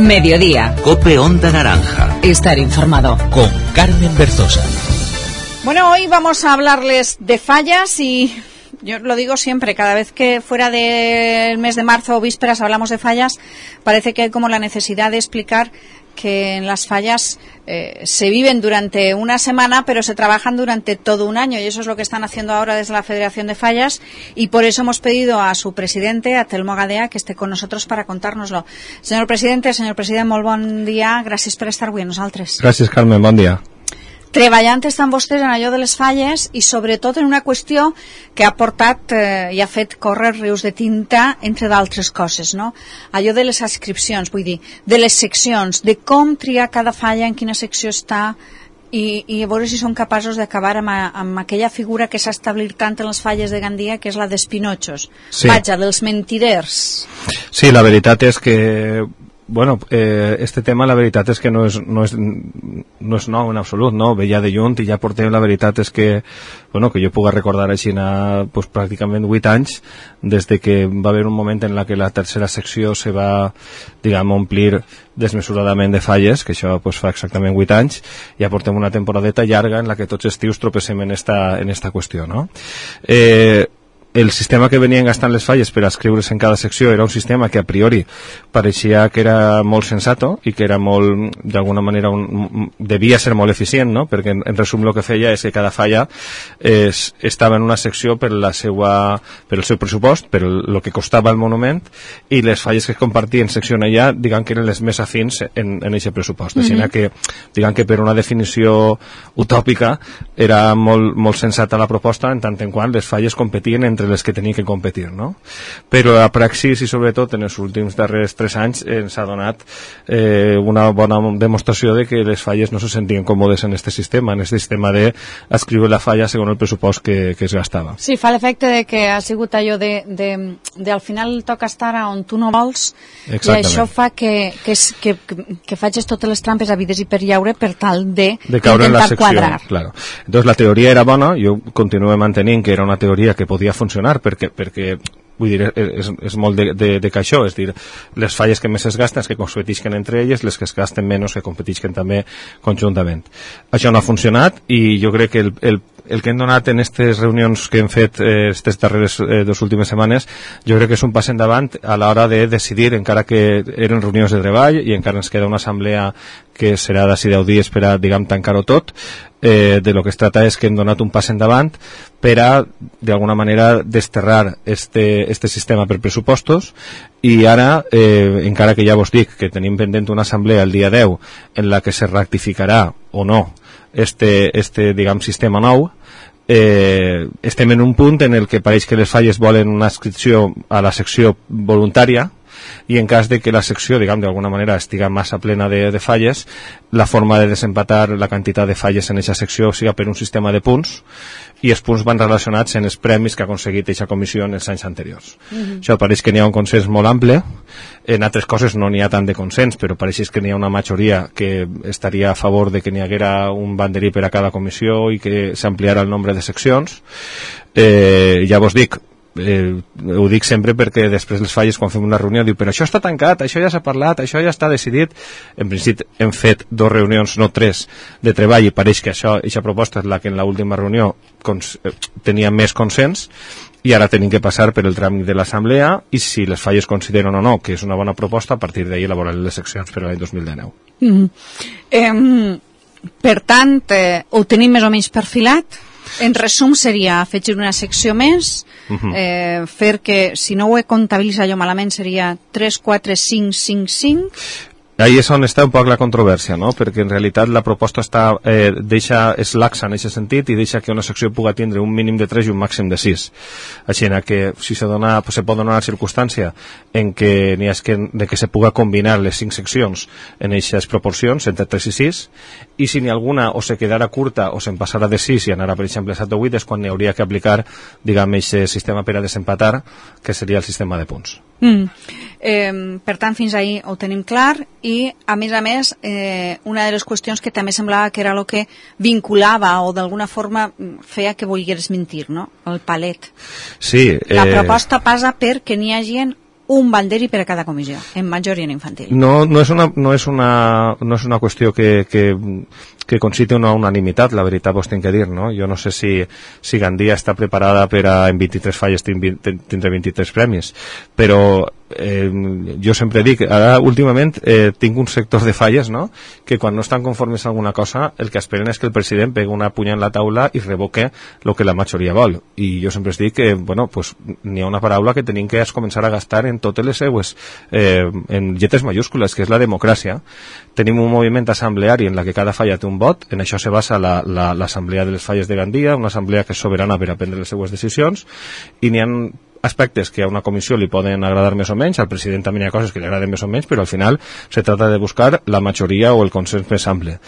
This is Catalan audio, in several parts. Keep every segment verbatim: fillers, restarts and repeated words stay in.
Mediodía. Cope Onda Naranja. Estar informado. Con Carmen Berzosa. Bueno, hoy vamos a hablarles de fallas y yo lo digo siempre, cada vez que fuera del mes de marzo o vísperas hablamos de fallas, parece que hay como la necesidad de explicar que en las fallas eh, se viven durante una semana, pero se trabajan durante todo un año, y eso es lo que están haciendo ahora desde la Federación de Fallas, y por eso hemos pedido a su presidente, a Telmo Gadea, que esté con nosotros para contárnoslo. Señor presidente, señor president, molt bon dia, gràcies per estar avui amb nosaltres. Gràcies, Carmen, bon dia. Treballant estan vostès en allò de les falles i sobretot en una qüestió que ha portat eh, i ha fet córrer rius de tinta, entre d'altres coses, no? Allò de les adscripcions, vull dir, de les seccions, de com triar cada falla, en quina secció està, i, i a veure si són capaços d'acabar amb, amb aquella figura que s'ha establit tant en les falles de Gandia, que és la dels pinotxos. Sí. Vaja, dels mentiders. Sí, la veritat és que bueno, eh, este tema la veritat és que no és, no és, no és nou en absolut, no? Ve ja de lluny i ja portem, la veritat és que, bueno, que jo puga recordar així pues, pràcticament vuit anys des de que va haver un moment en la que la tercera secció se va, diguem, omplir desmesuradament de falles, que això pues, fa exactament vuit anys, ja portem una temporadeta llarga en la que tots estius tropecem en esta, en esta qüestió, no? Eh, el sistema que venien gastant les falles per escriure's en cada secció era un sistema que a priori pareixia que era molt sensato i que era molt, d'alguna manera un, devia ser molt eficient, no? Perquè en, en resum el que feia és que cada falla es, estava en una secció per la seua, per el seu pressupost, per el, el que costava el monument, i les falles que es compartien secció allà, diguem que eren les més afins en, en aquest pressupost. Mm-hmm. Així que, diguem que per una definició utòpica era molt, molt sensata la proposta, en tant en quant les falles competien entre les que tenien que competir, no? Però a praxis i sobretot en els últims darrers tres anys ens ha donat eh, una bona demostració de que les falles no se sentien còmodes en este sistema, en este sistema d'escriure la falla segons el pressupost que, que es gastava. Sí, fa l'efecte de que ha sigut allò de, de, de al final toca estar on tu no vols. Exactament. I això fa que, que, que, que, que facis totes les trampes havides i per llaure per tal de, de caure en la secció, quadrar. Claro. Entonces la teoria era bona, jo continuo mantenint que era una teoria que podia funcionar perquè, perquè vull dir, és, és molt de, de, de caixó, és dir, les falles que més es gasten és que competisquen entre elles, les que es gasten menys que competisquen també conjuntament. Això no ha funcionat i jo crec que el, el, el que hem donat en aquestes reunions que hem fet aquestes eh, darreres eh, dues últimes setmanes, jo crec que és un pas endavant a l'hora de decidir, encara que eren reunions de treball i encara ens queda una assemblea que serà d'ací deu dies per a, diguem, tancar-ho tot. Eh, de lo que es trata és que hem donat un pas endavant per a, d'alguna manera, desterrar este, este sistema per pressupostos, i ara, eh, encara que ja vos dic que tenim pendent una assemblea el dia deu en la que se rectificarà o no este, este diguem, sistema nou, eh, estem en un punt en el que pareix que les falles volen una inscripció a la secció voluntària, i en cas de que la secció, diguem, d'alguna manera estiga massa plena de, de falles, la forma de desempatar la quantitat de falles en aquesta secció siga per un sistema de punts, i els punts van relacionats en els premis que ha aconseguit aquesta comissió en els anys anteriors. Mm-hmm. Això pareix que n'hi ha un consens molt ample, en altres coses no n'hi ha tant de consens, però pareix que n'hi ha una majoria que estaria a favor de que n'hi haguera un banderí per a cada comissió i que s'ampliara el nombre de seccions. Eh, ja vos dic, Eh, ho dic sempre perquè després les falles, quan fem una reunió, diu, però això està tancat, això ja s'ha parlat, això ja està decidit. En principi hem fet dos reunions, no tres, de treball, i pareix que això, aquesta proposta és la que en l'última reunió cons eh, tenia més consens, i ara tenim que passar per el tràmit de l'assemblea, i si les falles consideren o no que és una bona proposta, a partir d'ahir elaborar les seccions per a l'any dos mil dinou. Mm. Eh, per tant, eh, ho tenim més o menys perfilat. En resum seria afegir una secció més, uh-huh. eh, fer que, si no ho he comptabilitzat jo malament, seria tres, quatre, cinc, cinc, cinc. Ahí és on està un poc la controvèrsia, no? Perquè en realitat la proposta està, eh, deixa, és laxa en aquest sentit i deixa que una secció puga tindre un mínim de tres i un màxim de sis. Així que si se, dona, pues, se pot donar una circumstància en què n'hi ha que, de que se puga combinar les cinc seccions en aquestes proporcions, entre tres i sis, i si n'hi ha alguna o se quedara curta o se'n passara de sis i anara, per exemple, a set o vuit, és quan n'hi hauria que aplicar, diguem, aquest sistema per a desempatar, que seria el sistema de punts. Mm. Eh, per tant, fins ahir ho tenim clar, i a més a més eh, una de les qüestions que també semblava que era el que vinculava o d'alguna forma feia que volgueres mentir, no? El palet. Sí. Eh... La proposta passa perquè n'hi hagi un banderi per a cada comissió, en major i en infantil. No, no és una, no és una, no és una qüestió que, que, que conciti una unanimitat, la veritat vos tinc que dir, no? Jo no sé si, si Gandia està preparada per a en vint-i-tres falles tindre vint-i-tres premis, però eh, jo sempre dic, ara últimament eh, tinc un sector de falles, no?, que quan no estan conformes a alguna cosa el que esperen és que el president pegui una punya en la taula i revoque el que la majoria vol, i jo sempre dic que, bueno, pues n'hi ha una paraula que tenim que es començar a gastar en totes les seues eh, en lletres mayúscules, que és la democràcia. Tenim un moviment assembleari en la que cada falla té un vot, en això se basa l'assemblea la, la, de les falles de Gandia, una assemblea que és soberana per a prendre les seues decisions, i n'hi ha aspectes que a una comissió li poden agradar més o menys, al president també hi ha coses que li agraden més o menys, però al final se trata de buscar la majoria o el consens més ample.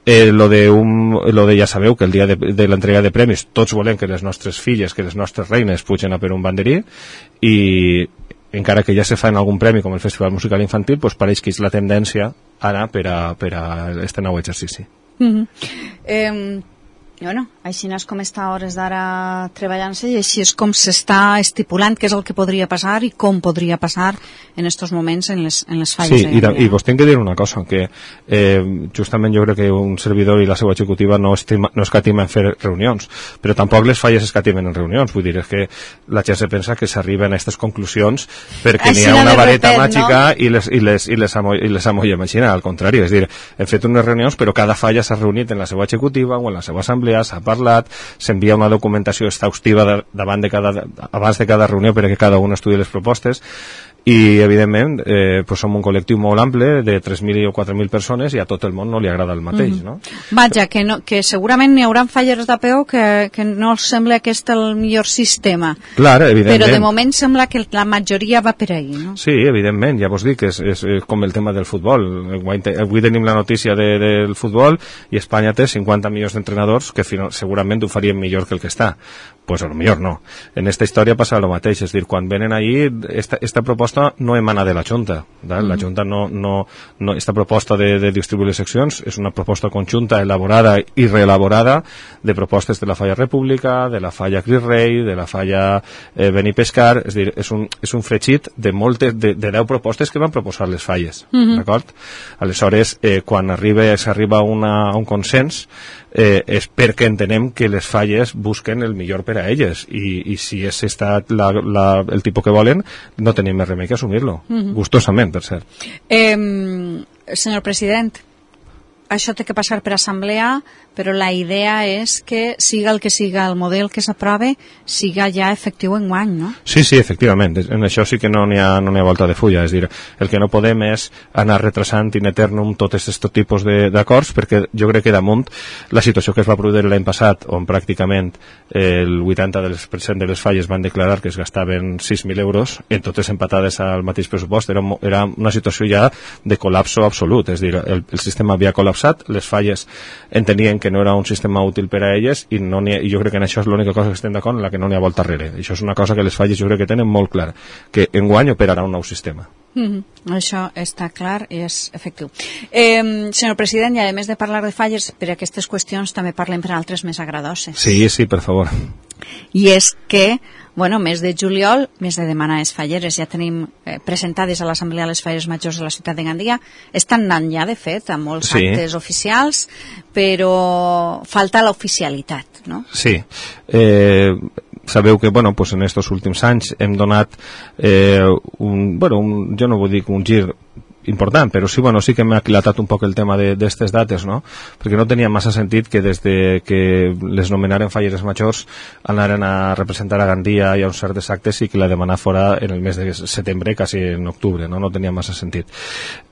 Eh, lo, de un, lo de ja sabeu que el dia de, de l'entrega de premis tots volem que les nostres filles, que les nostres reines pugen a per un banderí, i encara que ja se fa en algun premi com el Festival Musical Infantil, pues pareix que és la tendència ara per a, per a este nou exercici. Mm-hmm. eh, bueno, així és com està a hores d'ara treballant-se, i així és com s'està estipulant què és el que podria passar i com podria passar en estos moments en les, en les falles. Sí, i, i vos tinc que dir una cosa, que eh, justament jo crec que un servidor i la seva executiva no, estima, no escatima en fer reunions, però tampoc les falles escatimen en reunions, vull dir, és que la gent se pensa que s'arriben a aquestes conclusions perquè n'hi ha una vareta repet, màgica, no? i les, i les, i les, amo, i les amolla màgica, al contrari, és dir, hem fet unes reunions però cada falla s'ha reunit en la seva executiva o en la seva assemblea, s'ha parlat, s'envia una documentació exhaustiva de, davant de cada, abans de cada reunió perquè cada un estudi les propostes, i evidentment eh, pues som un col·lectiu molt ample de tres mil o quatre mil persones i a tot el món no li agrada el mateix, mm-hmm. no? Vaja, que, no, que segurament n'hi haurà falleres d'A P O que, que no els sembla aquest el millor sistema. Clar, evidentment. Però de moment sembla que la majoria va per ahí, no? Sí, evidentment, ja vos dic, és, és, és com el tema del futbol. Avui tenim la notícia de, del futbol i Espanya té cinquanta milions d'entrenadors que final, segurament ho farien millor que el que està. Pues a lo millor no. En esta història passa el mateix, és dir, quan venen allí, esta, esta proposta no emana de la Junta, ¿vale? La Junta no, no, no, esta proposta de, de distribuir les seccions és una proposta conjunta, elaborada i reelaborada de propostes de la Falla República, de la Falla Cris Rei, de la Falla eh, Benipescar, és dir, és un, és un fregit de moltes, de, de deu propostes que van proposar les falles, mm-hmm. d'acord? Aleshores, eh, quan arriba, s'arriba a un consens, eh, és perquè entenem que les falles busquen el millor per a elles, i, i si és estat la, la, el tipus que volen, no tenim més remei que assumir-lo, mm-hmm. gustosament, per cert. Eh, senyor president, això té que passar per assemblea, però la idea és que siga el que siga el model que s'aprove, siga ja efectiu en guany, no? Sí, sí, efectivament. En això sí que no n'hi ha, no n'hi ha volta de fulla. És dir, el que no podem és anar retrasant in eternum tots aquests tipus d'acords, perquè jo crec que damunt la situació que es va produir l'any passat, on pràcticament el vuitanta per cent de les falles van declarar que es gastaven sis mil euros, en totes empatades al mateix pressupost, era, era una situació ja de col·lapso absolut. És dir, el, el sistema havia col·lapsat, les falles entenien que no era un sistema útil per a elles, i, no ha, i jo crec que en això és l'única cosa que estem d'acord, en la que no n'hi ha volta darrere. Això és una cosa que les falles jo crec que tenen molt clar, que enguany operarà un nou sistema. Mm-hmm. Això està clar i és efectiu. Eh, senyor president, i a més de parlar de falles, per aquestes qüestions també parlem per altres més agradoses. Sí, sí, per favor. I és que, bueno, mes de juliol, mes de demanar les falleres, ja tenim eh, presentades a l'Assemblea les falleres majors de la ciutat de Gandia, estan anant ja, de fet, a molts sí. actes oficials, però falta l'oficialitat, no? Sí. Eh, sabeu que, bueno, pues en estos últims anys hem donat eh, un, bueno, un, jo no vull dir un gir important, però sí, bueno, sí que m'ha aquilatat un poc el tema d'aquestes dates, no? Perquè no tenia massa sentit que des de que les nomenaren falleres majors anaren a representar a Gandia i a uns certs actes i que la demanar fora en el mes de setembre, quasi en octubre, no? No tenia massa sentit.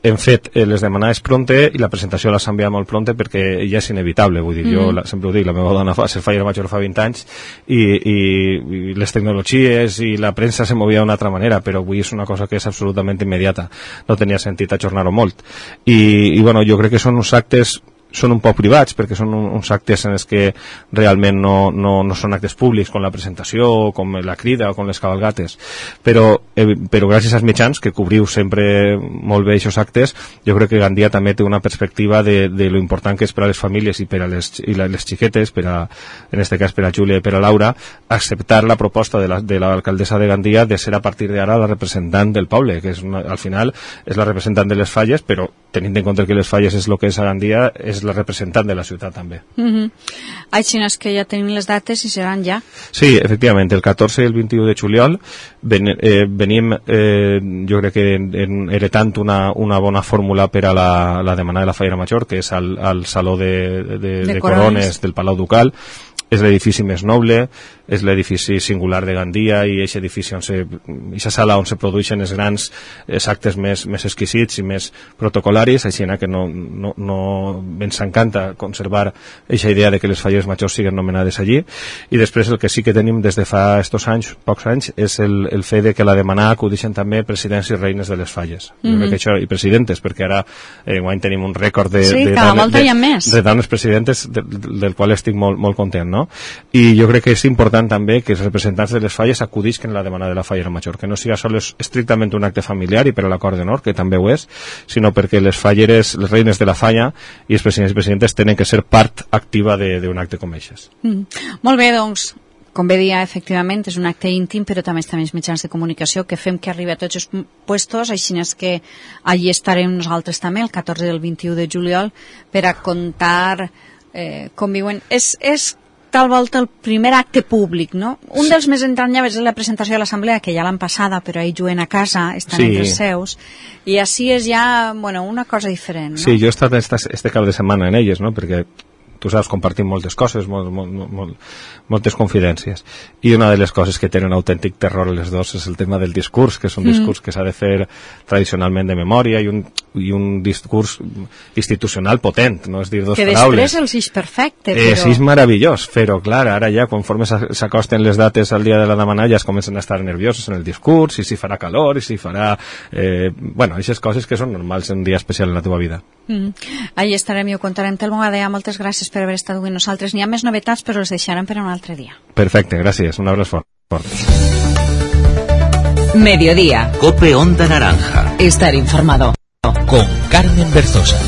Hem fet eh, les demanades pronte i la presentació l'ha enviat molt pronte perquè ja és inevitable, vull dir, mm. jo la, sempre ho dic, la meva dona fa ser fallera major fa vint anys i, i, i les tecnologies i la premsa se movia d'una altra manera, però avui és una cosa que és absolutament immediata, no tenia sentit ajornar-ho molt, i, i bueno, jo crec que són uns actes són un poc privats, perquè són un, uns actes en els que realment no, no, no són actes públics, com la presentació, com la crida o com les cabalgates, però, eh, però gràcies als mitjans, que cobriu sempre molt bé aquests actes, jo crec que Gandia també té una perspectiva de, de lo important que és per a les famílies i per a les, i la, les xiquetes, per a, en este cas per a Júlia i per a Laura, acceptar la proposta de la, de l'alcaldessa de Gandia de ser a partir d'ara la representant del poble, que és una, al final és la representant de les Falles, però tenint en compte que les Falles és el que és a Gandia, és la representant de la ciutat també. Mm-hmm. Així és que ja tenim les dates i seran ja. Sí, efectivament, el catorze i el vint-i-u de juliol ven, eh, venim, eh, jo crec que en, en, heretant una, una bona fórmula per a la, la demanda de la Fallera Major, que és al, al Saló de, de, de, de Corones del Palau Ducal. És l'edifici més noble, és l'edifici singular de Gandia i aquest edifici on se, aquesta sala on se produeixen els grans els actes més, més exquisits i més protocolaris, així que no, no, no ens encanta conservar aquesta idea de que les Falleres Majors siguin nomenades allí. I després el que sí que tenim des de fa estos anys, pocs anys, és el, el fet de que la demanar acudixen també presidents i reines de les Falles. Mm-hmm. Jo crec que això, i presidentes, perquè ara eh, guany tenim un rècord de, sí, de, de, de, de, de dones presidentes de, del qual estic molt, molt content, no? I jo crec que és important també que els representants de les Falles acudisquen a la demanda de la Fallera Major, que no siga sols estrictament un acte familiar i per a l'acord d'honor, que també ho és, sinó perquè les Falleres, les reines de la Falla i els presidents i presidentes tenen que ser part activa d'un acte com aquestes. Mm. Molt bé, doncs, com bé dia, efectivament, és un acte íntim, però també estem els mitjans de comunicació que fem que arribi a tots els puestos, així és que allí estarem nosaltres també, el catorze i el vint-i-u de juliol, per a contar eh, com viuen. És, és tal volta el primer acte públic, no? Un sí. dels més entranyables és la presentació de l'assemblea, que ja l'han passada, però ahir juguen a casa, estan sí. entre els seus, i així és ja, bueno, una cosa diferent, no? Sí, jo he estat esta, este cap de setmana en elles, no?, perquè tu saps, compartim moltes coses, molt, molt, molt, moltes confidències, i una de les coses que tenen autèntic terror les dos és el tema del discurs, que és un mm. discurs que s'ha de fer tradicionalment de memòria i un, i un discurs institucional potent, no és dir dos que paraules. Que després els és perfecte, però... Eh, sí, és meravellós, però clar, ara ja, conforme s'acosten les dates al dia de la demanda, ja es comencen a estar nerviosos en el discurs, i si farà calor, i si farà... Eh, bueno, aquestes coses que són normals en un dia especial en la teva vida. Mm. Ahí estarem i ho contarem. Telmo Gadea, moltes gràcies per haver estat avui nosaltres. N'hi ha més novetats, però les deixarem per un altre dia. Perfecte, gràcies. Un abraç fort. Mediodía. Cope Onda Naranja. Estar informado. Con Carmen Berzosa.